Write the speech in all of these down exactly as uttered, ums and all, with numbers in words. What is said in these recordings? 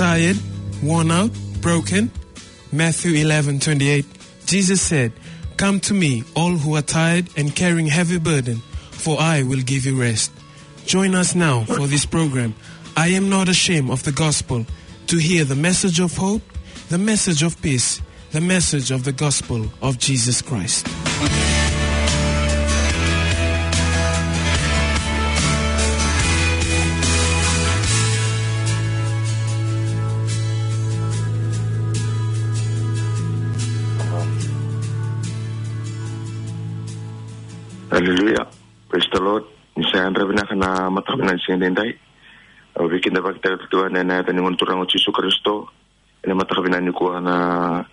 Tired, worn out, broken? Matthew eleven twenty-eight, Jesus said, "Come to me, all who are tired and carrying heavy burden, for I will give you rest." Join us now for this program, I Am Not Ashamed of the Gospel, to hear the message of hope, the message of peace, the message of the gospel of Jesus Christ. Hallelujah. Praise the Lord. Ni sa yadra vinaka na mataka vinaka ni siga edaidai. Au veikidavaki tale tu ena yaca ni Gone Turaga o Jisu Karisito. Ena mataka vinaka nikua na,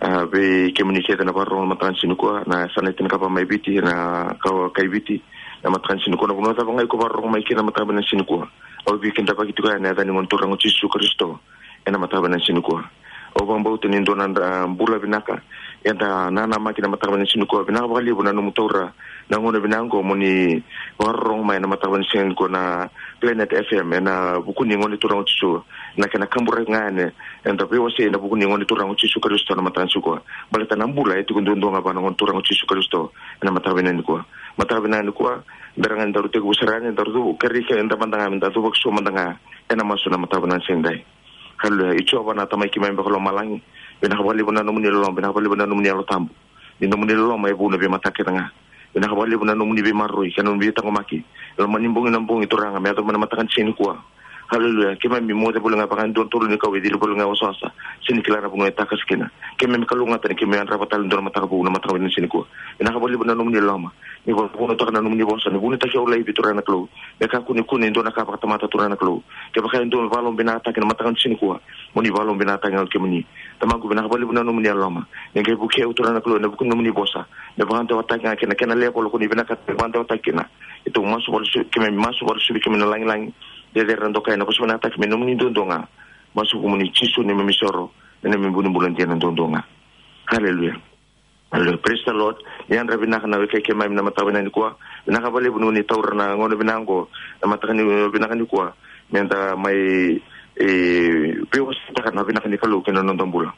a, vei kemuni kece na vakarorogo na mataka ni siga nikua, na yasana e tinikava mai Viti, na ka, kai Viti, na mataka ni siga nikua, na vanua cava ga iko vakarorogo mai kina na mataka vinaka ni siga nikua. Au veikidavaki tiko ena yaca ni Gone Turaga o Jisu Karisito. Ena mataka vinaka ni siga nikua. Au vakabauta ni dua na, a, bula vinaka eda nanamaki na mataka vinaka ni siga nikua. Vinaka vakalevu na nomu taura na gauna vinaka oqo mo ni vakarorogo mai na mataka vinaka ni siga nikua na Planet F M, ena vuku ni Gone Turaga o Jisu, na kena kaburaki ga yani eda veiwasei ena vuku ni Gone Turaga o Jisu Karisito na mataka ni siga nikua. Baleta na bula e tiko duadua ga vua na Gone Turaga o Jisu Karisito ena mataka vinaka nikua. Mataka vinaka nikua, bera ga ni daru tekivu sara yani, daru kerei keda mada ga meda cuva ki so mada ga ena masu na mataka vinaka ni siga edaidai. Haleluya. I Jiova na Tamai keimami vakalomalagi, vinaka vakalevu na nomuni loloma, vinaka vakalevu na nomuni Yalo Tabu. Ni nomuni loloma e vou ena veimataka kece ga. Vinaka vakalevu na nomuni veimaroroi kei na nomuni veitaqomaki. Loma ni bogi, na bogi Turaga me yaco mai na mataka ni siga nikua. Haleluya. Keimami moce voli ga vaka e dua na tolu ni kau e cili voli ga e wasawasa, sega ni kila na vanua e takasi kina. Keimami kalougata ni keimami yadrava tale e dua na mataka vou na mataka vinaka ni siga nikua. Vinaka vakalevu na nomuni loloma. Ni vakavunautaka na nomuni vosa, ni vunitaki au laivi Turaga na Kalou. Me kakua ni kune e dua na ka vakatamata Turaga na Kalou. Kevaka e dua me vakalomavinakataki na mataka ni siga nikua, mo ni vakalomavinakataki ga o kemuni. Tamaqu, vinaka vakalevu na nomuni loloma. Ni qai vukei au Turaga na Kalou ena vuku ni nomuni vosa. Me vakadewataki ga kina, kena level ko ni vinakata me vakadewataki kina. Keitou masu vakalesuvi, keimami masu vakalesuvi, keimami na lagilagi. Cecere na dokai, na vosa vinakataki me nomuni duadua ga. Masu vukumuni Jisu neimami isoro, neimami vu ni bula dina duadua ga. Haleluya. Haleluya. Praise the Lord. Ni yadra vinaka na wekai keimami na mataka vinaka nikua. Vinaka vakalevu ni taura na gauna vinaka oqo, na mataka ni, vinaka nikua. Meda mai, e, veiwaseitaka na vinaka ni Kalou kei na noda bula.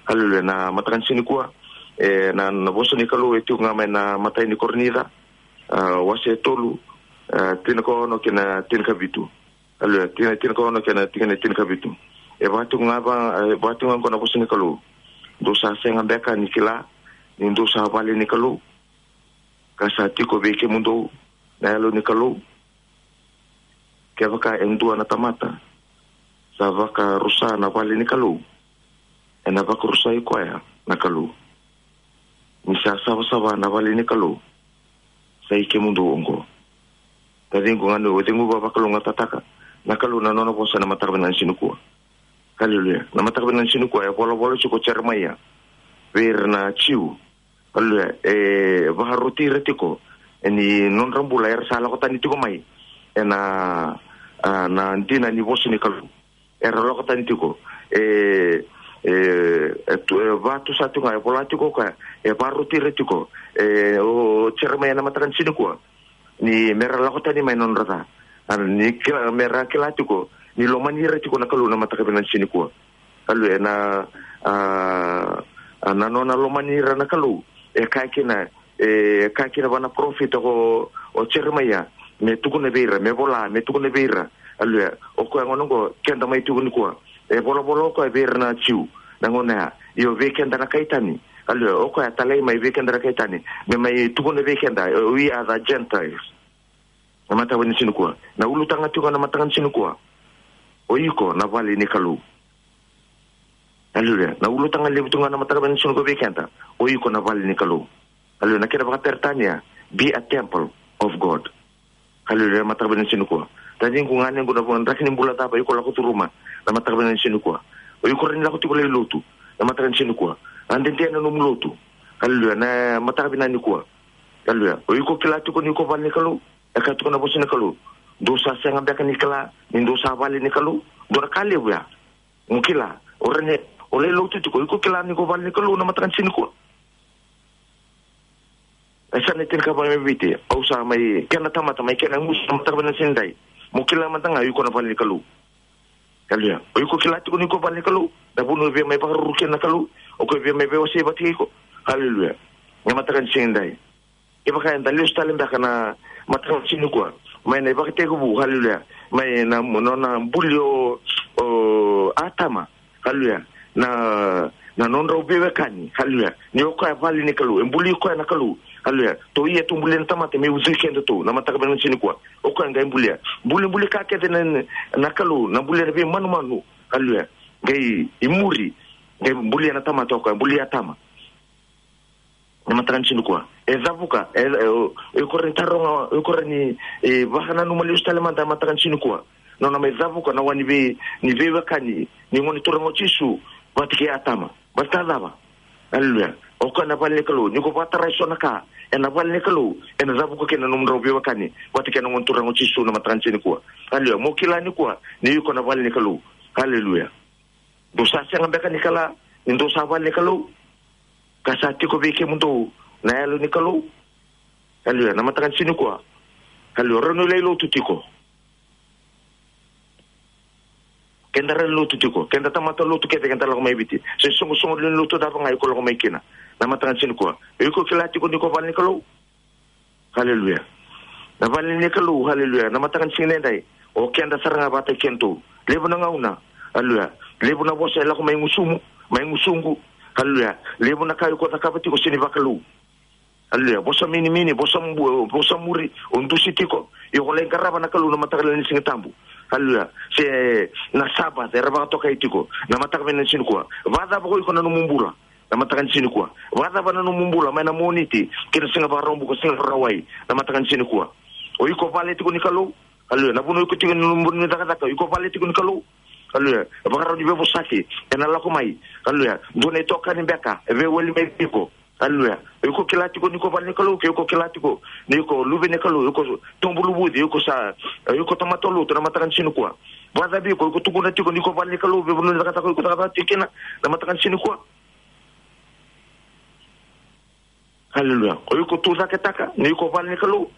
Haleluya. Na mataka ni siga nikua, e, na, na vosa ni Kalou e tiko ga mai na imatai ni Korinica, a, wase e tolu, a, tinikaono kei na tinikavitu. Haleluya. Tina, tinikaono kei na tikina e tinikavitu. E vaka tiko ga va, e vaka tiko ga oqo na vosa ni Kalou. Dou sa sega beka ni kila ni dou sa vale ni Kalou, ka sa tiko vei kemudou na Yalo ni Kalou? Kevaka e dua na tamata sa vakarusa na vale ni Kalou, ena vakarusai koya na Kalou. Ni sa savasava na vale ni Kalou, sa i kemudou oqo. Taciqu, ganequ, o cegu, vakalougatataka na Kalou na nona vosa na mataka vinaka ni siga nikua. Haleluya. Na mataka vinaka ni siga nikua e volavola tiko o Jeremaia vei ira na Jiu. Haleluya. E vakaroti ira tiko ni nodra bula era sa lako tani tiko mai ena, a, na dina ni vosa ni Kalou. Era lako tani tiko. E, e, e tu, e vatusa tiko ga, e vola tiko o koya, e vakaroti ira tiko, e, o Jeremaia na mataka ni siga nikua, ni mera lako tani mai na nodra ca. A, ni kila, mera kila tiko ni lomani ira tiko na Kalou na mataka vinaka ni siga nikua. Haleluya. Na, a, a, na nona lomani ira na Kalou, e kaya kina, e kaya kina vua na parofita ko, o Jeremaia, me tukuna vei ira, me vola, me tukuna vei ira. Haleluya. O koya gona oqo keda mai tiko nikua. E volavola o koya vei ira na Jiu na gauna ya. Io, vei keda na kai tani. Haleluya. O koya talai mai vei keda na kai tani, me mai tukuna vei keda, we are the Gentiles. Na mataka vinaka ni siga nikua, na ulutaga tiko ga na mataka ni siga nikua, o iko na vale ni Kalou. Haleluya. Na ulutaga levu tiko ga na mataka vinaka ni siga nikua vei keda, o iko na vale ni Kalou. Haleluya. Na kena vakaperitania, be a temple of God. Haleluya. Na mataka vinaka ni siga nikua, taciqu, ganequ, na draki ni bula cava iko lako curuma na mataka vinaka ni siga nikua. O iko rawa ni lako tiko lai lotu na mataka ni siga nikua. A dede na nomu lotu. Haleluya. Na mataka vinaka nikua. Haleluya. O iko kila tiko ni iko vale ni Kalou. E kaya tiko na vosa ni Kalou, dou sa sega beka ni kila ni dou sa vale ni Kalou? Dua na ka levu ya. Mo kila, o rawa ni o lai lotu tiko, iko kila ni ko vale ni Kalou na mataka ni siga nikua? E sa na tinikava mai Viti, au sa mai kena tamata, mai kena gusu na mataka vinaka ni siga nidai. Mo kila mada ga iko na vale ni Kalou. Haleluya. O iko kila tiko ni ko vale ni Kalou. Na vanua e via mai vakaruru kina na Kalou. O koya e via mai veiwasei vata kei iko. Haleluya. Na mataka ni siga edai, kevaka eda lesu tale beka na mataka ni siga nikua mai na ivakatekivu, haleluya, mai na nona buli o, o Atama, haleluya, na, na nodrau veiwekani, haleluya, ni o koya vale ni Kalou, e buli koya na Kalou, haleluya. Tou ia tou bulia na tamata me ucui kedatou, na mataka ni siga nikua. O koya qai bulia, bulibuli ka kece na, na Kalou, na bulia na veimanumanu, haleluya. Qai i muri, qai bulia na tamata o koya, bulia Atama. Na mataka ni siga nikua, e cavuka, e, e, o, o iko rawa ni taroga, o iko rawa ni, e, vakananuma lesu tale mada na mataka ni siga nikua. Nona mai cavuka na wa ni vei, ni veiwekani ni Gone Turaga o Jisu vata kei Atama. Baleta cava? Haleluya. O koya na vale ni Kalou. Ni ko vakatarai so na ka ena vale ni Kalou, ena cavuka kina na nomudrau veiwekani vata kei na Gone Turaga o Jisu, na mataka ni siga nikua. Haleluya. Mo kila nikua ni iko na vale ni Kalou. Haleluya. Dou sa sega beka ni kila ni dou sa vale ni Kalou, ka sa tiko vei kemudou na Yalo ni Kalou? Haleluya. Na mataka ni siga nikua, haleluya, rawa ni o lai lotu tiko. Keda rawa ni lotu tiko, keda tamata lotu kece, keda lako mai Viti. Se soqosoqo lewe ni lotu cava ga iko lako mai kina, na mataka ni siga nikua, o iko kila tiko ni ko vale ni Kalou? Haleluya. Na vale ni Kalou, haleluya, na mataka ni siga edai, o keda sara ga vata kei kedatou. Levu na gauna, haleluya, levu na vosa e lako mai gusumu, mai gusuqu, haleluya. Levu na ka iko cakava tiko sega ni vakalou. Haleluya. Vosa minimini, vosa mu-, vosa muri, o dusi tiko. Io, ko lai qarava na Kalou na mataka lailai ni Siga Tabu. Haleluya. Se na Sabath era vakatokai tiko na mataka vinaka ni siga nikua. Vakacava ko iko na nomu bula na mataka ni siga nikua? Vakacava na nomu bula mai na Moniti ki na Siga Vakaraubuka, Siga Vakarauwai, na mataka ni siga nikua? O iko vale tiko ni Kalou? Haleluya. Na vanua iko tiko, na nomu cakacaka, o iko vale tiko ni Kalou? Haleluya. E vakarau ni veivosaki ena lako mai. Haleluya. Dua na itokani beka e veiwali mai vei iko. Haleluya. O iko kila tiko ni ko vale ni Kalou, ke o iko kila tiko ni ko luve ni Kalou, o iko tubu luvuci, o iko sa, o iko tamata lotu na mataka ni siga nikua. Vakacava o iko, o iko tukuna tiko ni ko vale ni Kalou, vei vanua ni cakacaka o iko cakacaka tiko kina na mataka ni siga nikua? Haleluya. O iko tucaketaka ni ko vale ni Kalou?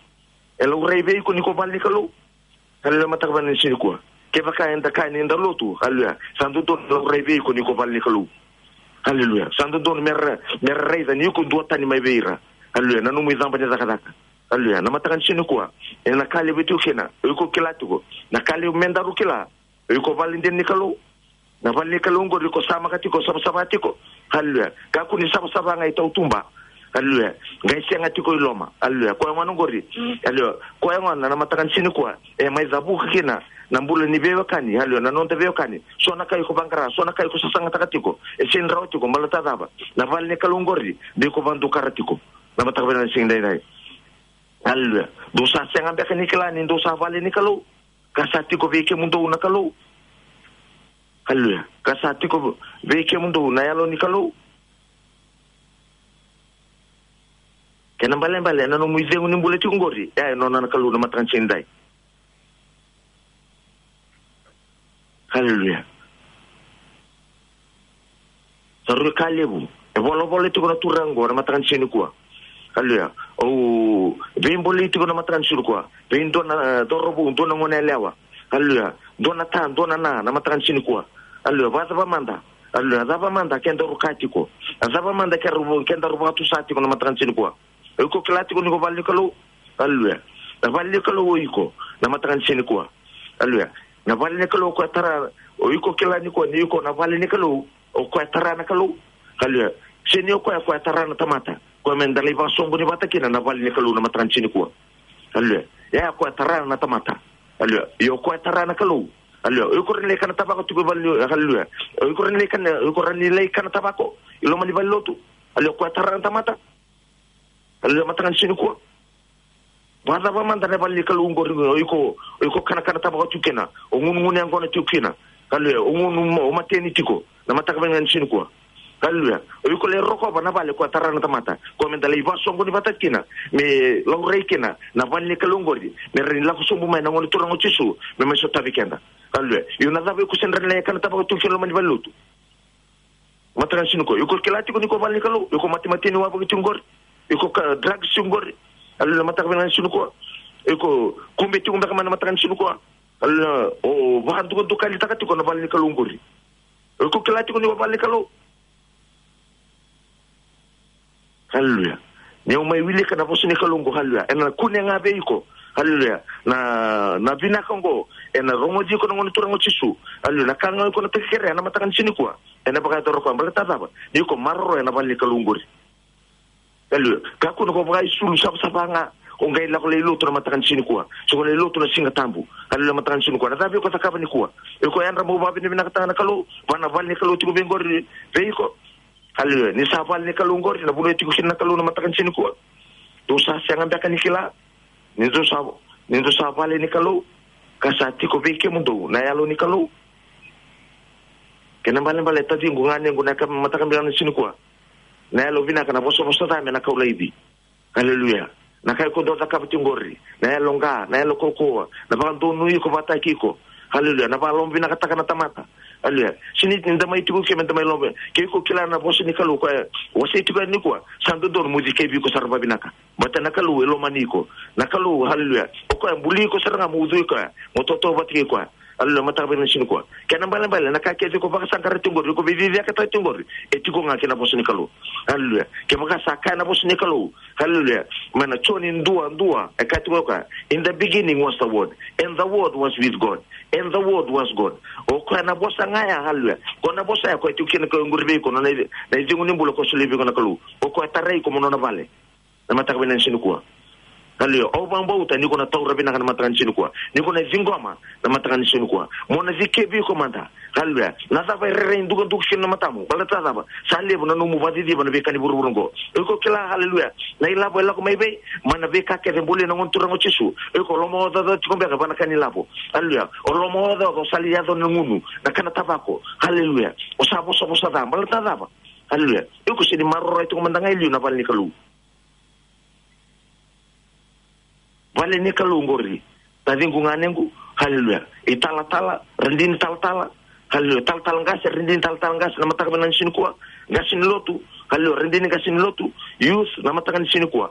E laurai vei iko ni ko vale ni Kalou? Haleluya, mataka vinaka ni siga nikua. Kevaka eda kaya ni da lotu, haleluya, sa dodonu me laurai vei iko ni ko vale ni Kalou. Haleluya. Sa dodonu me ra, me ra raica ni iko duatani mai vei ira. Haleluya. Na nomu icaba ni cakacaka. Haleluya. Na mataka ni siga nikua, ena ka levu e tiko kina, o iko kila tiko. Na ka levu me daru kila, o iko vale dina ni Kalou. Na vale ni Kalou oqori o iko samaka tiko, savasava tiko. Haleluya. Kakua ni savasava ga i tautuba. Haleluya. Qai sega tiko i loma. Haleluya. Koya gona oqori. Mm. Haleluya. Koya gona na mataka ni siga nikua e mai cavuka kina na bula ni veiwekani. Haleluya. Na noda veiwekani. So na ka iko vaqara, so na ka iko sasagataka tiko, e sega ni rawa tiko, baleta cava? Na vale ni Kalou oqori de iko vadukara tiko na mataka vinaka ni siga edaidai. Haleluya. Dou sa sega beka ni kila ni dou sa vale ni Kalou, ka sa tiko vei kemudou na Kalou? Haleluya. Ka sa tiko vei kemudou na Yalo ni Kalou? Kena ibalebale, na nomu icegu ni bula tiko oqori, e, e nona na Kalou na mataka ni siga edaidai. Haleluya. Sa rui ka levu e volavola tiko na turaga oqo na mataka ni siga nikua. Haleluya. Au veibolei tiko na mataka ni siga nikua vei dua na, e, cauravou, dua na gone yalewa. Haleluya. Dua na ta, dua na na, na mataka ni siga nikua. Haleluya. Vakacava mada? Haleluya. Cava mada kedaru kaya tiko? A cava mada kedaru, kedaru vakatusa tiko na mataka ni siga nikua? O iko kila tiko ni ko vale ni Kalou? Haleluya. Na vale ni Kalou o iko na mataka ni siga nikua. Haleluya. Na vale ni Kalou o koya tara, o iko kila ni ko, ni iko na vale ni Kalou, o koya tara na Kalou. Haleluya. Se ni o koya, koya tara na tamata. Koya me da lai vakasoqoni vata kina na vale ni Kalou na mataka ni siga nikua. Haleluya. Ia, koya tara na tamata. Haleluya. Io, koya tara na Kalou. Haleluya. O iko rawa ni lai kana tavako tiko i vale ni, haleluya. O iko rawa ni lai kana, o iko rawa ni lai kana tavako i loma ni valenilotu. Haleluya. Koya tara na tamata. Haleluya, mataka ni siga nikua. Vakacava mada na vale ni Kalou oqori o iko, o iko kanakana tavako tiko kina, o gunugunu yaqona tiko kina. Haleluya, o gunu, o mateni tiko na mataka vinaka ni siga nikua. Haleluya. O iko lai rokova na vale koya tara na tamata, koya me da lai vakasoqoni vata kina, me laurai kina na vale ni Kalou oqori, me rawa ni lako sobu mai na Gone Turaga o Jisu me mai sotavi keda. Haleluya. Io, na cava o iko sega ni rawa ni lai kana tavako tiko kina loma ni valenilotu? Mataka ni siga nikua, iko kila tiko ni ko vale ni Kalou, iko matemateni wavoki tiko oqori, iko ka drugs tiko oqori. Haleluya, mataka vinaka ni siga nikua. Iko kube tiko beka mai na mataka ni siga nikua. Haleluya. O vakadukadukalitaka tiko na vale ni Kalou qori. O iko kila tiko ni o vale ni Kalou. Haleluya. Ni o mai wilika na vosa ni Kalou qo, haleluya, ena kune ga vei iko. Haleluya. Na, na vinaka qo ena rogoci iko na Gone Turaga o Jisu. Haleluya. Na ka ga iko na takekere ena mataka ni siga nikua, ena vakayacora koya. Baleta na cava? Ni iko maroroya na vale ni Kalou qori. Haleluya. Kakua ni ko vakaisulu savasava ga, o qai lako lai lotu na mataka ni siga nikua. Se ko lai lotu na Siga Tabu. Haleluya, mataka ni siga nikua. Na cava iko cakava nikua? Iko yadra mo vakavinavinakataka na Kalou, vua na vale ni Kalou tiko vei qori vei iko. Haleluya. Ni sa vale ni Kalou qori, na vanua e tiko kina na Kalou na mataka ni siga nikua. Dou sa sega beka ni kila ni dou sa, ni dou sa vale ni Kalou, ka sa tiko vei kemudou na Yalo ni Kalou? Kena ibalebale, taciqu, ganequ, na ka mataka vinaka ni siga nikua. Na yalo vinaka, na vosavosa ca me na kau laivi. Haleluya. Na ka iko dau cakava tiko qori, na yalo qa, na yalo kaukaua, na vakadonui iko vakataki iko. Haleluya. Na vakalomavinakataka na tamata. Haleluya. Sega ni da mai tiko ke me da mai loma. Ke iko kila na vosa ni Kalou koya e wasei tiko yani nikua, sa dodonu mo cikevi iko sara vakavinaka. Baleta na Kalou e lomani iko. Na Kalou, haleluya, o koya e buli iko sara ga mo ucui koya, mo tautauvata kei koya. Haleluya, mataka vinaka ni siga nikua. Kena ibalebale, na ka kece iko vakasaqara tiko qori, iko veiciciyakataka tiko qori, e tiko ga kei na vosa ni Kalou. Haleluya. Kevaka sa kaya na vosa ni Kalou, haleluya, mai na Joni dua dua, e kaya tiko o koya, "In the beginning was the Word, and the Word was with God, and the Word was God." O koya na vosa ga ya, haleluya. Ko na vosa ya, koya tiko kina, koya qori vei iko, na, na icegu ni bula ko solia vei iko na Kalou. O koya tarai iko mo nona vale. Na mataka vinaka ni siga nikua. Haleluya. Au vakabauta ni ko na taura vinaka na mataka ni siga nikua. Ni ko na ciqoma na mataka ni siga nikua. Mo na cikevi iko mada. Haleluya. Na cava e rairai dukaduka kina na matamu? Baleta na cava? Sa levu na nomu vakaciciva na veika ni vuravura qo. Iko kila, haleluya, na ilavo e lako mai vei? Mai na veika kece e bulia na Gone Turaga o Jisu. Iko lomaocaoca tiko beka vua na ka ni lavo. Haleluya. O lomaocaoca, o sa lai yaco na gunu, na kana tavako. Haleluya. O sa vosavosa ca. Baleta na cava? Haleluya. Iko sega ni maroroya tiko mada ga e liu na vale ni Kalou. Vale ni Kalou qori, taciqu, ganequ, haleluya. Italatala, radini talatala, haleluya. Talatala qase, radini talatala qase, na mataka vinaka ni siga nikua. Qase ni lotu, haleluya. Radini qase ni lotu, youth, na mataka ni siga nikua.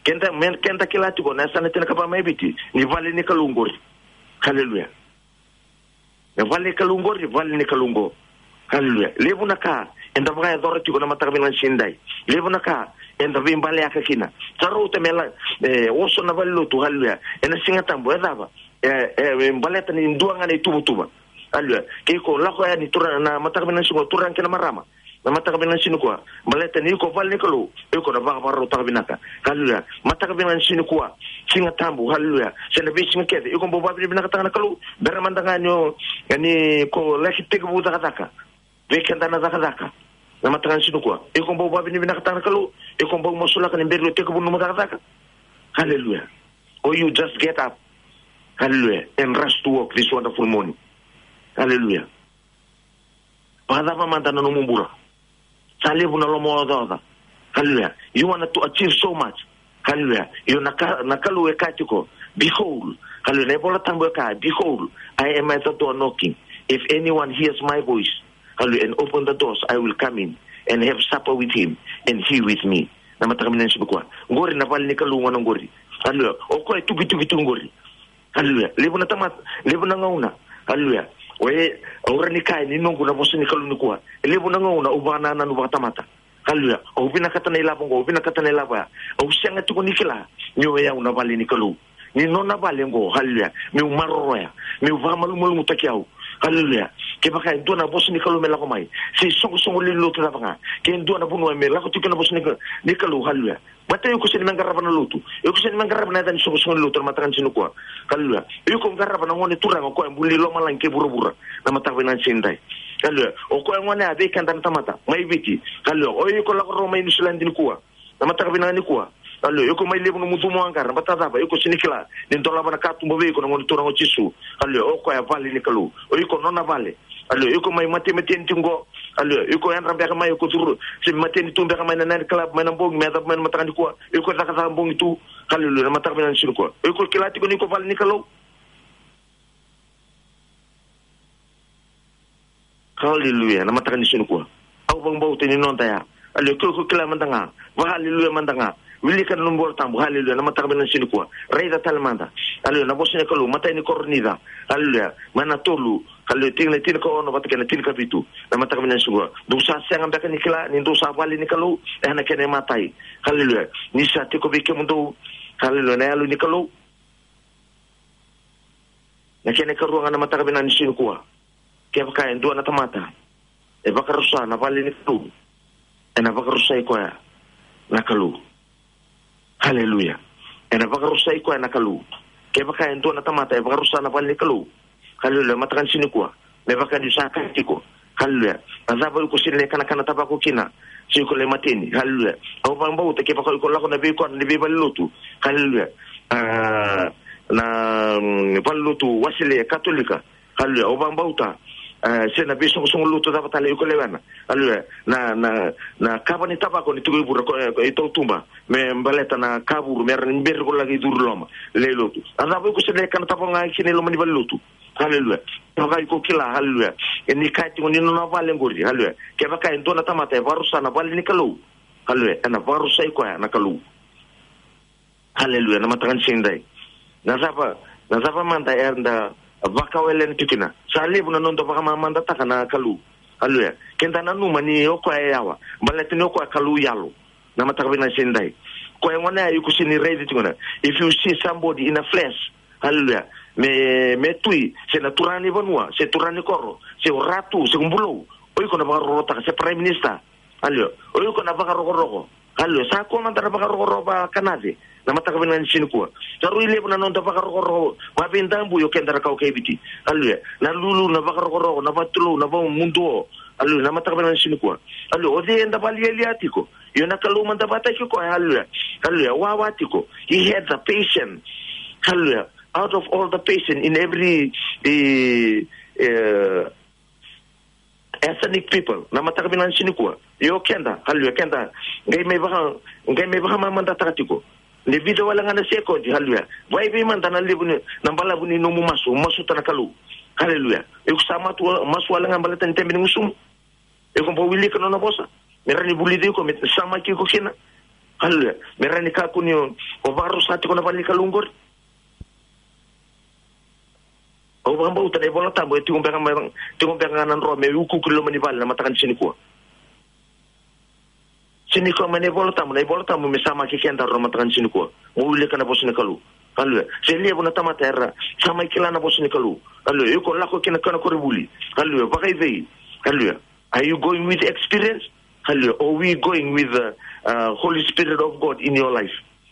Keda, me keda kila tiko na yasana tiko ga mai Viti ni vale ni Kalou qori. Haleluya. Na vale ni Kalou qori, vale ni Kalou qo. Haleluya. Levu na ka eda vakayacora tiko na mataka vinaka ni siga nidai. Levu na ka eda veibaleyaka kina. Sa rauta me la, e, oso na valelotu, haleluya, ena Siga Tabu, e cava? E, e, e baleta ni dua ga na ituvatuva. Haleluya. Ke iko lako yani, turaga, na mataka vinaka ni siga, turaga kei na marama, na mataka vinaka ni siga nikua, baleta ni iko vale ni Kalou, iko na vakavakarautaka vinaka. Haleluya. Mataka vinaka ni siga nikua, Siga Tabu, haleluya, se na veisiga kece, iko bau vakavinavinakataka na Kalou, bera mada ga ni o, ni ko laki tekivu cakacaka. Vei keda na cakacaka, na mataka ni siga nikua, iko bau vakavinavinakataka na Kalou, iko bau masulaka ni bera o tekivu nomu cakacaka. Haleluya. Or you just get up, haleluya, and rush to work this wonderful morning. Haleluya. Vakacava mada na nomu bula? Sa levu na lomaocaoca. Haleluya. You want to achieve so much. Haleluya. Io, na ka, na Kalou e kaya tiko, behold. Haleluya. Na iVola Tabu e kaya, "Behold, I am at the door knocking. If anyone hears my voice, haleluya, and open the doors, I will come in and have supper with him and he with me." Na mataka vinaka ni siga nikua. Qori na vale ni Kalou gona qori. Haleluya. O koya e tukituki tu qori. Haleluya. Levu na tamata, levu na gauna. Haleluya. O e, au rawa ni kaya ni noqu na vosa ni Kalou nikua. E levu na gauna au vakanananu vakatamata. Haleluya. Au vinakata na ilavo qo, au vinakata na ilavo ya. Au sega tiko ni kila ni o yau na vale ni Kalou. Ni nona vale qo, haleluya, meu maroroya, meu vakamalumalumutaki au. Haleluya. Kevaka e dua na vosa ni Kalou me lako mai, se isoqosoqo lewe ni lotu cava ga, ke dua na vanua me lako tiko na vosa ni Ka-, ni Kalou, haleluya. Baleta iko sega ni me qarava na lotu. Iko sega ni me qarava na yaca ni soqosoqo ni lotu na mataka ni siga nikua. Haleluya. Iko qarava na Gone Turaga, o koya e buli lomalagi kei vuravura, na mataka vinaka ni siga nidai. Haleluya. O koya gone ya vei keda na tamata mai Viti. Haleluya. O iko lako rawa mai Niusiladi nikua, na mataka vinaka nikua. Haleluya. Iko mai levu nomu cumu a qara, baleta na cava? Iko sega ni kila ni dolava na katuba vei iko na Gone Turaga o Jisu. Haleluya. O koya vale ni Kalou. O iko nona vale. Haleluya. Iko mai matemateni tiko qo. Haleluya. Iko yadra beka mai, iko curu, se mateni tu beka mai na night club mai na bogi, me yacova mai na mataka nikua. Iko cakacaka bogi tu. Haleluya. Na mataka vinaka ni siga nikua, iko kila tiko ni iko vale ni Kalou. Haleluya. Na mataka ni siga nikua, au vakabauta ni noda ya. Haleluya. Ke iko kila mada ga, vakahaleluya mada ga. Wilika na nomu iVolatabu, haleluya, na mataka vinaka ni siga nikua. Raica tale mada, haleluya, na vosa ni Kalou, matai ni Korinica, haleluya, mai na tolu, haleluya, tikina tinikaono vata kei na tinikavitu, na mataka vinaka ni siga nikua. Dou sa sega beka ni kila ni dou sa vale ni Kalou, e na kena imatai, haleluya, ni sa tiko vei kemudou, haleluya, na Yalo ni Kalou. Na kena ikarua ga na mataka vinaka ni siga nikua. Kevaka e dua na tamata e vakarusa na vale ni Kalou, ena vakarusai koya na Kalou. Haleluya. Ena vakarusai koya na Kalou. Kevaka e dua na tamata e vakarusa na vale ni Kalou, haleluya, mataka ni siga nikua, me vaka niu sa kaya tiko, haleluya, na cava iko sega ni kanakana tavako kina, se iko lai mateni, haleluya. Au vakabauta kevaka iko lako na veikoro ni veivalelotu, haleluya, a, na, mm, valelotu Wesele, Katolika, haleluya, au vakabauta, e, se na veisoqosoqo lotu cava tale iko lewena, haleluya, na, na, na kava ni tavako ni tiko i vura ko, e, i tautuba me baleta na kavuru, me ra ni beri ko laki curu loma, lai lotu. A cava iko sega ni kana tavako ga kina i loma ni valelotu? Haleluya. Kevaka iko kila, haleluya, e ni kaya tiko ni nona vale qori, haleluya, kevaka e dua na tamata e vakarusa na vale ni Kalou, haleluya, ena vakarusai koya na Kalou. Haleluya. Na mataka ni siga edai, na cava, na cava mada eda vakawelena tiko kina? Sa levu na noda vakamamadataka na Kalou, haleluya. Keda nanuma ni o koya e yawa, baleta ni o koya Kalou yalo. Na mataka vinaka ni siga edai, koya gona ya iko sega ni raici tiko na, if you see somebody in a flesh, haleluya, me, me tui, se na turaga ni vanua, se turaga ni koro, se o ratu, se o bulou, o iko na vakarorotaka, se prime minister, haleluya, o iko na vakarokoroko, haleluya. Sa kua mada na vakarokoroko vakanace, na mataka vinaka ni siga nikua. Sa rui levu na noda vakarokoroko vaveidabui o keda na kawa kei Viti, haleluya. Na lulu, na vakarokoroko, na vatulou, na vamuduo, haleluya, na mataka vinaka ni siga nikua. Haleluya. O cei eda valialia tiko? Io, na Kalou mada vakataki koya, haleluya. Haleluya. Wawa tiko. He had the patient, haleluya, out of all the patient in every, e, e, ethnic people, na mataka vinaka ni siga nikua. Io keda, haleluya, keda qai mai vaka, qai mai vakamamadataka tiko. Ni vica wale ga na sekodi, haleluya, vakaevei mada na levu ni, na balavu ni nomu masu, masuta na Kalou, haleluya. Iko sa matu, masu wale ga baleta ni tebe ni gusumu? Iko bau wilika nona vosa me rawa ni vulici iko, me samaki iko kina, haleluya, me rawa ni kakua ni o, o vakarusa tiko na vale ni Kalou qori. Au vakabauta na iVolatabu e tiko beka, tiko beka ga na dro me ukuuku i loma ni vale na mataka ni siga nikua. Siga nikua mai na iVolatabu, na iVolatabu me samaki kedaru na mataka ni siga nikua. Mo wilika na vosa ni Kalou. Haleluya. Se levu na tamata era sa mai kila na vosa ni Kalou, haleluya, iko lako kina kena koronivuli, haleluya, vakaevei? Haleluya. Are you going with experience? Haleluya. Or we going with the, uh, Holy Spirit of God in your life?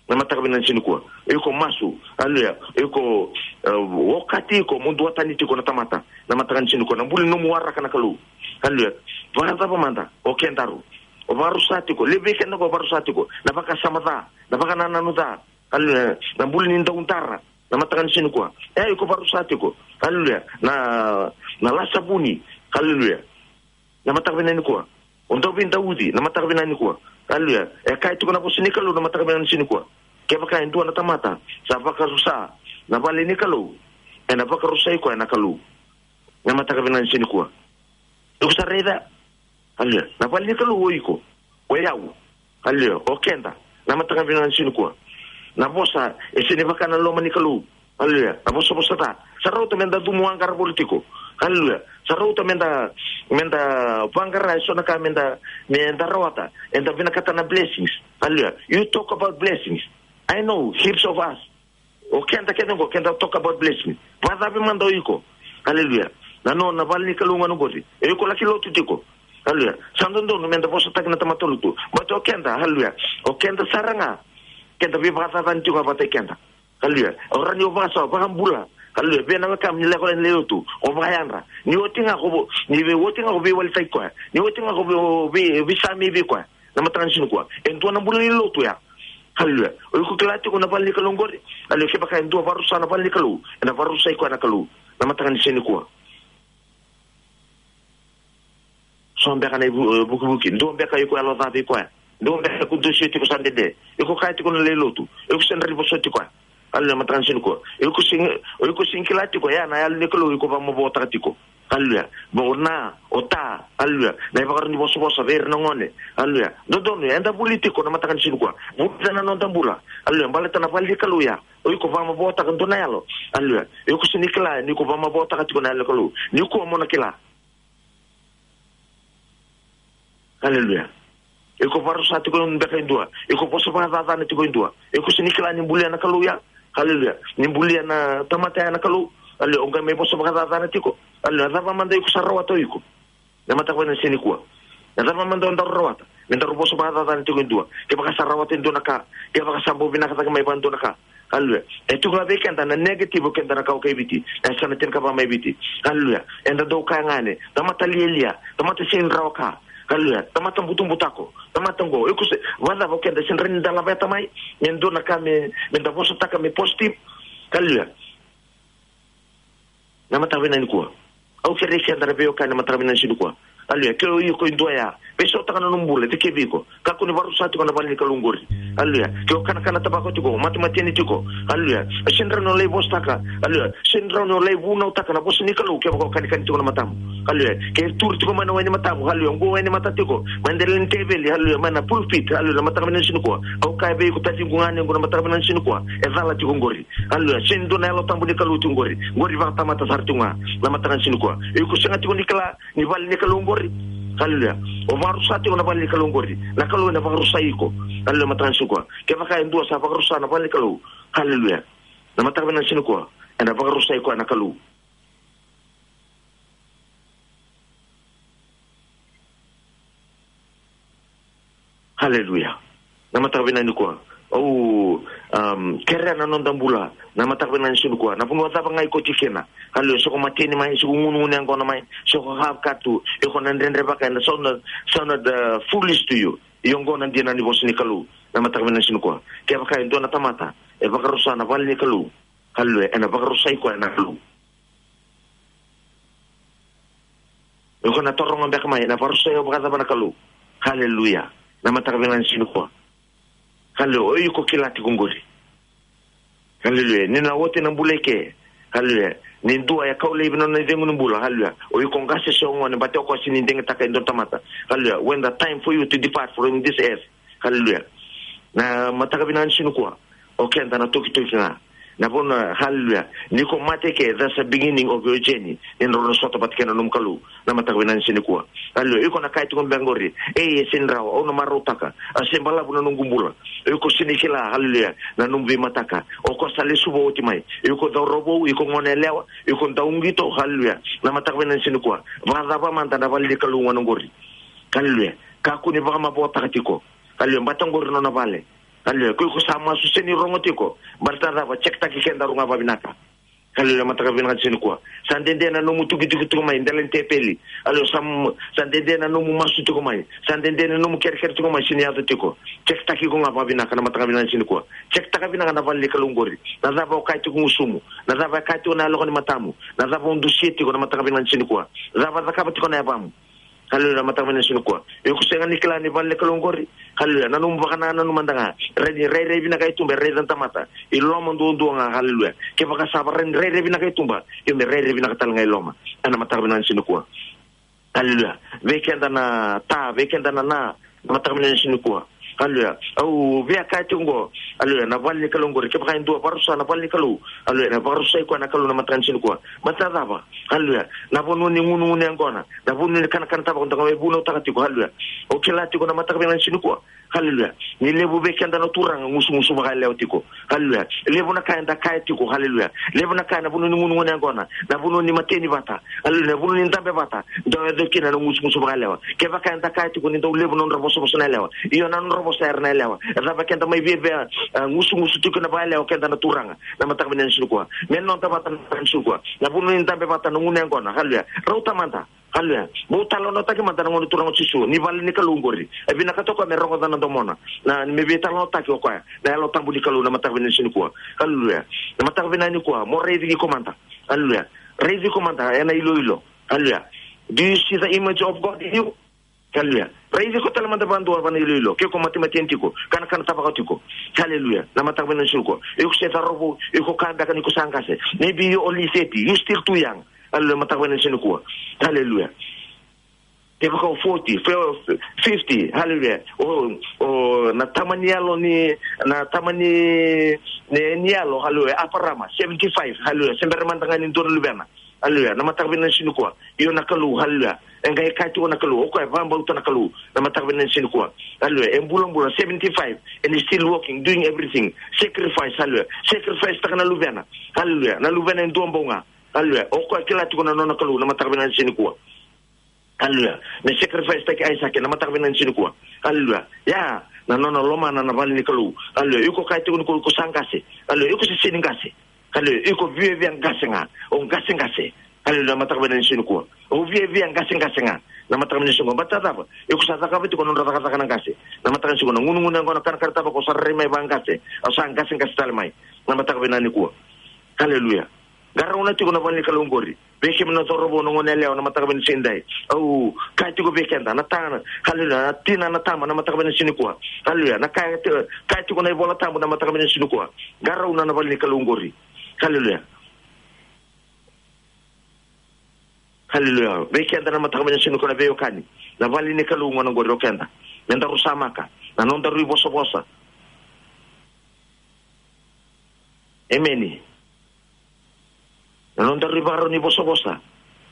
Na mataka vinaka ni siga nikua, iko masu, haleluya, iko, e, okati iko mo duatani tiko na tamata, na mataka ni siga nikua, na buli nomu waraka na Kalou, haleluya. Vakacava mada o kedaru o vakarusa tiko, levu vei keda ko vakarusa tiko na vakasama ca, na vakanananu ca, haleluya, na buli ni daudara, na mataka ni siga nikua. E, iko vakarusa tiko, haleluya, na, na lasa vuni, haleluya, na mataka vinaka nikua. O dau veidauci, na mataka vinaka nikua, haleluya. E kaya tiko na vosa ni Kalou na mataka vinaka ni siga nikua, kevaka e dua na tamata sa vakarusa na vale ni Kalou, ena vakarusai koya na Kalou, na mataka vinaka ni siga nikua. Iko sa raica, haleluya, na vale ni Kalou o iko, o yau, haleluya, o keda, na mataka vinaka ni siga nikua. Na vosa e sega ni vaka na loma ni Kalou, haleluya, na vosavosa ca. Sa rauta meda cumu vaqara voli tiko, haleluya. Sa rauta meda, meda vaqara eso na ka meda, meda rawata, eda vinakata na blessings, haleluya. You talk about blessings. I know heaps of us, o keda kece qo, keda talk about blessing. Vakacava mada o iko, haleluya, na nona vale ni Kalou gona qori, e iko laki lotu tiko, haleluya. Sa dodonu meda vosataki na tamata lotu, but o keda, haleluya, o keda sara ga, keda veivakacacani tiko vata kei keda, haleluya. O rawa ni o vakasawa, vakabula, haleluya, vei na wekamu ni lako yani lai lotu, o vakayadra. Ni oti ga ko vo, ni vei oti ga ko veiwalitaki koya, ni oti ga ko vei, vei, veisamei vei koya, na mataka ni siga nikua. E dua na bula ni lotu ya, haleluya. O iko kila tiko na vale ni Kalou qori, haleluya, kevaka e dua vakarusa na vale ni Kalou, ena vakarusai koya na Kalou, na mataka ni siga nikua. So beka na ivu-, e, vukivuki, dua beka iko yalo ca vei koya, dua beka iko dusia tiko sa dede, iko kaya tiko na lai lotu, iko sega ni vosoti koya, haleluya, mataka ni siga nikua. Iko sega, iko sega ni kila tiko ya na Yalo ni Kalou iko vakamavotaka tiko. Haleluya. Mo na, o ta, haleluya. Na ivakarau ni vosavosa vei ira na gone. Haleluya. Dodonu, eda vuli tiko na mataka ni siga nikua. Vulica na noda bula. Haleluya. Baleta na vale ni Kalou ya. O iko vakamavoataka dua na yalo. Haleluya. O iko sega ni kila, ni ko vakamavoataka tiko na yalo ni Kalou. Nikua mo na kila. Haleluya. Iko vakarusa tiko beka e dua. Iko vosa vakacacana tiko e dua. Iko sega ni kila ni bulia na Kalou ya. Haleluya. Ni bulia na tamata ya na Kalou. Haleluya. O qai mai vosa vakacacana tiko. Haleluya. Na cava mada iko sa rawata o iko? Na mataka vinaka ni siga nikua. Na cava mada o daru rawata? Me daru vosa vakacacana tiko e dua. Kevaka sa rawata e dua na ka. Kevaka sa bau vinaka cake mai vaka dua na ka. Haleluya. E tu ga vei keda na negative o keda na kawa kai Viti. Na yasana tinikava mai Viti. Haleluya. Eda dau kaya ga ni tamata lialia, tamata sega ni rawa ka. Haleluya. Tamata butubutako, tamata qo. Iko se, vakacava o keda sega ni da laveta mai me dua na ka me, me da vosataka me positive? Haleluya. Na mataka vinaka nikua, au kerei keda na veiwekani na mataka vinaka ni siga nikua. Haleluya. Ke o iko e dua ya, veisautaka na nomu bula, dikevi iko. Kakua ni vakarusa tiko na vale ni Kalou qori. Haleluya. Ke o kanakana tabako tiko, matemate ni tiko. Haleluya. Sega ni rawa ni o lai vosataka. Haleluya. Sega ni rawa ni o lai vunautaka na vosa ni Kalou kevaka o kanikani tiko na matamu. Haleluya. Ke turi tiko mai na wai ni matamu. Haleluya. Qo wai ni mata tiko mai dela ni teveli. Haleluya. Mai na pulpit. Haleluya. Na mataka vinaka ni siga nikua, au kaya vei iko, taciqu, ganequ, na mataka vinaka ni siga nikua, e cala tiko qori. Haleluya. Sega ni dua na Yalo Tabu ni Kalou tiko qori. Qori vakatamata sara tiko ga na mataka ni siga nikua. Iko sega tiko ni kila ni vale ni Kalou qori. Haleluya. O vakarusa tiko na vale ni Kalou qori, na Kalou ena vakarusai iko. Haleluya. Mataka ni siga nikua, kevaka e dua sa vakarusa na vale ni Kalou, haleluya, na mataka vinaka ni siga nikua, ena vakarusai koya na Kalou. Haleluya. Na mataka vinaka nikua, au, um, kerea na noda bula na mataka vinaka ni siga nikua. Na vanua cava ga iko tiko kina. Haleluya. Se ko mateni mai, se ko gunugunu yaqona mai, se ko half cut tu, iko na dredrevaka, ena sound, sound, uh, foolish to you. Ia oqo na dina ni vosa ni Kalou na mataka vinaka ni siga nikua. Kevaka e dua na tamata e vakarusa na vale ni Kalou, haleluya, ena vakarusai koya na Kalou. Iko na taroga beka mai, ena vakarusai au vakacava na Kalou? Haleluya. Na mataka vinaka ni siga nikua, haleluya, o iko kila tiko qori. Haleluya. Ni na oti na bula i ke. Haleluya. Ni dua e kau laivi na nona icegu ni bula. Haleluya. O iko qase se o gone, baleta o koya sega ni digitaka e dua na tamata. Haleluya. When the time for you to depart from this earth. Haleluya. Na mataka vinaka ni siga nikua, o keda na tokitoki ga. Na vanua, haleluya, ni ko mate ke, that's the beginning of your journey. Ni drau na sota vata kei na nomu Kalou na mataka vinaka ni siga nikua. Haleluya. Iko na kaya tiko beka qori, ei, e sega ni rawa, au na marautaka, a se balavu na noqu bula. Iko sega ni kila, haleluya, na nomu veimataka. O koya sa lesuva oti mai. Iko cauravou, iko gone yalewa, iko dauqito, haleluya. Na mataka vinaka ni siga nikua, vakacava mada na vale ni Kalou gona qori? Haleluya. Kakua ni vakamavoataka tiko. Haleluya. Baleta qori nona vale. Haleluya. Ko iko sa masu, sega ni rogo tiko. Baleta cava? Check-taki kedaru ga vavinaka. Haleluya. Mataka vinaka ni siga nikua, sa dede na nomu tukituki tiko mai dela ni tepeli. Haleluya. Sa, sa dede na nomu masu tiko mai. Sa dede na nomu kerekere tiko mai, sega ni yaco tiko. Check-taki iko ga vavinaka na mataka vinaka ni siga nikua. Check-taka vinaka na vale ni Kalou qori. Na cava o kaya tiko gusumu? Na cava e kaya tiko na yaloka ni matamu? Na cava o dusia tiko na mataka vinaka ni siga nikua? Na cava cakava tiko na yavamu? Haleluya. Na mataka vinaka ni siga nikua, iko sega ni kila ni vale ni Kalou qori. Haleluya. Na nomu vakanananu mada ga. Rai, rairai vinaka i tuba e raica na tamata. I loma duadua ga. Haleluya. Kevaka sa vakarairai vinaka i tuba, io me rairai vinaka tale ga i loma. Ena mataka vinaka ni siga nikua. Haleluya. Vei keda na ta, vei keda na na, na mataka vinaka ni siga nikua. Haleluya. Au via kaya tiko qo. Haleluya. Na vale ni Kalou qori, kevaka e dua vakarusa na vale ni Kalou, haleluya, na vakarusai koya na Kalou na mataka ni siga nikua. Baleta cava? Haleluya. Na vanua ni gunugunu yaqona, na vanua ni kanakana tabako da qai mai vunautaka tiko. Haleluya. O kila tiko na mataka vinaka ni siga nikua, haleluya, ni levu vei keda na turaga gusugusu vakayalewa tiko. Haleluya. Levu na ka eda kaya tiko. Haleluya. Levu na ka ena vanua ni gunugunu yaqona, na vanua ni mateni vata, haleluya, na vanua ni dabe vata, dau yaco kina na gusugusu vakayalewa. Kevaka eda kaya tiko ni dau levu na nodra vosavosa na yalewa. Io, na nodra vosa era na yalewa. E cava keda mai viavia, a, gusugusu tiko na vakayalewa, keda na turaga, na mataka vinaka ni siga nikua? Me noda vata na mataka ni siga nikua, na vanua ni dabe vata, na gunu yaqona. Haleluya. Rauta mada. Haleluya. Bau talanoataki mada na Gone Turaga o Jisu, ni vale ni Kalou qori. E vinakata o koya me rogoca na domona, na, me veitalanoataki o koya na Yalo Tabu ni Kalou na mataka vinaka ni siga nikua. Haleluya. Na mataka vinaka nikua, mo raici iko mada. Haleluya. Raici iko mada ena iloilo. Haleluya. Do you see the image of God in you? Haleluya. Raici iko tale mada vakadua vana iloilo. Ke iko matemateni tiko, kanakana tabaka tiko. Haleluya. Na mataka vinaka ni siga nikua, iko se cauravou, iko kaya beka ni ko sa qase. Maybe you only thirty, you still too young. Haleluya, mataka vinaka ni siga nikua. Haleluya. Kevaka o forty, fe-, fifty, haleluya. O, o, na tama ni yalo ni, na tama ni, ni, ni yalo, haleluya, Aparama, seventy-five, haleluya. Se bera mada ga ni dua na luvena. Haleluya. Na mataka vinaka ni siga nikua. Io na Kalou, haleluya. E qai kaya tiko na Kalou, o koya e vakabauta na Kalou. Na mataka vinaka ni siga nikua. Haleluya. E bulabula, seventy-five, and he's still working, doing everything. Sacrifice, haleluya. Sacrifice taka na luvena. Haleluya. Na luvena e dua bau ga. Haleluya. O koya e kila tiko na nona Kalou, na mataka vinaka ni siga nikua. Haleluya. Me sacrifice taki Aisake, na mataka vinaka ni siga nikua. Haleluya. Ia, na nona lomana na vale ni Kalou. Haleluya. Iko kaya tiko ni ko, ko sa qase. Haleluya. Iko se sega ni qase. Haleluya. Iko viavia qase ga. O qaseqase. Haleluya. Na mataka vinaka ni siga nikua. O viavia qaseqase ga. Na mataka vinaka ni siga nikua. Baleta na cava? Iko sa cakava tiko na nodra cakacaka na qase. Na mataka ni siga nikua. Na gunugunu yaqona, kanakana, tavako, o sa rai mai vaqase. O sa qaseqase tale mai. Na mataka vinaka nikua. Haleluya. Qarauna tiko na vale ni Kalou qori. Vei kemuni na cauravou, na goneyalewa, na mataka vinaka ni siga nidai. Au kaya tiko vei keda, na tama, haleluya, na tina, na tama, na mataka vinaka ni siga nikua. Haleluya, na kaya ti-, kaya tiko na iVola Tabu, na mataka vinaka ni siga nikua. Qarauna na vale ni Kalou qori. Haleluya. Haleluya. Vei keda na mataka vinaka ni siga nikua na veiwekani. Na vale ni Kalou gona qori o keda. Meda rusamaka. Na nodaru ivosavosa. Emeni. Na nodaru ivakarau ni vosavosa.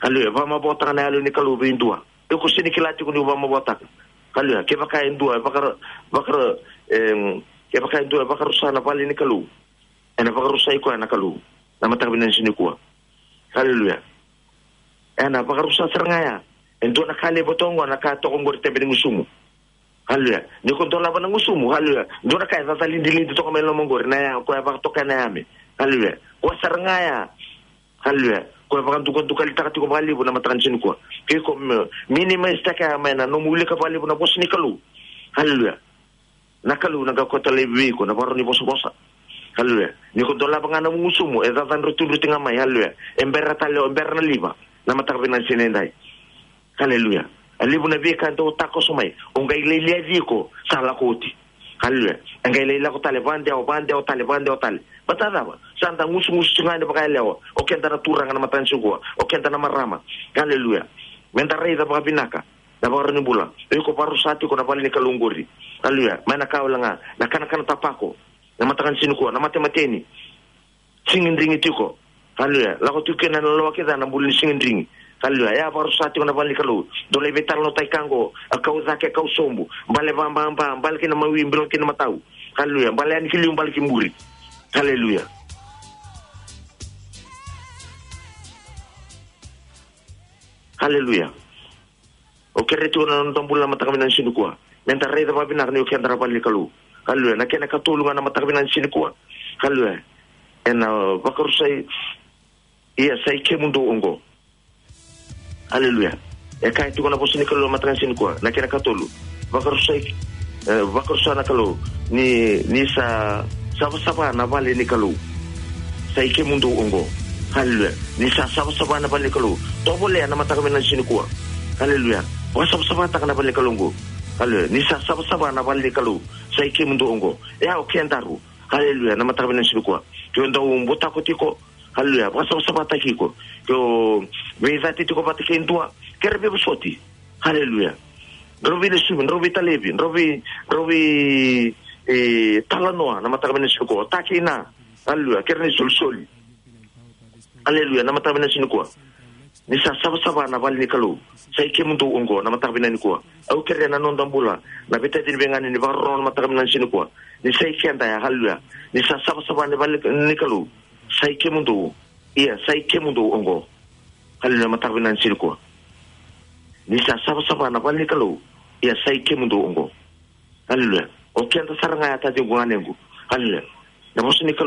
Haleluya. Vakamavoataka na yalo ni Kalou vei dua. Iko sega ni kila tiko ni vakamavoataka. Haleluya. Kevaka e dua, e vakara-, vakara-, em, kevaka e dua, e vakarusa na vale ni Kalou. Ena vakarusai koya na Kalou. Na mataka vinaka ni siga nikua. Haleluya. Ena vakarusa sara ga ya. E dua na ka levu toka qo, na ka toka qori tebe ni gusumu. Haleluya. Ni ko dolava na gusumu, haleluya. Dua na ka e cacalidilidi toka mai loma qori, na ya, koya vakatoka na yame. Haleluya. Koya sara ga ya. Haleluya. Koya vakadukadukalitaka tiko vakalevu na mataka ni siga nikua. Ke iko me-, minimize taka ya mai na nomu wilika vakalevu na vosa ni Kalou. Haleluya. Na Kalou na qai kauta laivi vei iko na vakarau ni vosavosa. Haleluya. Ni ko dolava ga na gusumu, e cacadrutidruti ga mai, haleluya. E bera tale, e bera na liva. Na mataka vinaka ni siga nidai. Haleluya. E levu na veika e dau takoso mai. O qai lai liaci iko, sa lako oti. Haleluya. E qai lai lako tale, vakadewa, vakadewa tale, vakadewa tale. Baleta na cava? Sa da gusugusu tiko ga yani vakayalewa. O keda na turaga na mataka ni siga nikua. O keda na marama. Haleluya. Meda raica vakavinaka. Na vakarau ni bula. Iko vakarusa tiko na vale ni Kalou qori. Haleluya. Mai na ka wale ga. Na kanakana tapako. Na mataka ni siga nikua, na matemateni. Sigidrigi tiko. Haleluya. Lako tiko kina na lewa kece na buli ni sigidrigi. Haleluya. Ya vakarusa tiko na vale ni Kalou. Dou lai veitalanoataki ka qo, a kau cake, a kau sobu. Bale vababa, bale kina mawi, bale kina matau. Haleluya. Bale yani ki liu, bale ki muri. Haleluya. Haleluya. O kere tiko na noda bula na mataka vinaka ni siga nikua. Meda raica vakavinaka ni o keda na vale ni Kalou. Haleluya. Na kena katolu ga na mataka vinaka ni siga nikua. Haleluya. Ena vakarusai. Ia, sa i kemudou oqo. Haleluya. E kaya tiko na vosa ni Kalou na mataka ni siga nikua. Na kena katolu. Vakarusai, e, vakarusa na Kalou. Ni, ni sa savasava na vale ni Kalou. Sa i kemudou oqo. Haleluya. Ni sa savasava na vale ni Kalou. Tovolea na mataka vinaka ni siga nikua. Haleluya. Vakasavasavataka na vale ni Kalou oqo. Haleluya. Ni sa savasava na vale ni Kalou. Sa i kemudou oqo. E au kedaru. Haleluya. Na mataka vinaka ni siga nikua. Ke o dau butako tiko. Haleluya. Vakasavasavataki iko. Ke o veicati tiko vata kei dua. Kere veivosoti. Haleluya. Drau veilesuvi, drau veitalevi, drau vei, drau vei, e, talanoa, na mataka vinaka ni siga nikua. Taki na. Haleluya. Kere na isolisoli. Haleluya. Na mataka vinaka ni siga nikua. Ni sa savasava na vale ni Kalou. Sa i kemudou oqo, na mataka vinaka nikua. Au kerea na noda bula. Na veitacini, veiganeni, vakarorogo na mataka vinaka ni siga nikua. Ni sa i keda ya, haleluya. Ni sa savasava na vale ni Kalou. Sa i kemudou. Ia, sa i kemudou oqo. Haleluya, mataka vinaka ni siga nikua. Ni sa savasava na vale ni Kalou. Ia, sa i kemudou oqo. Haleluya. O keda sara ga ya, taciqu, ganequ. Haleluya. Na vosa ni Kalou.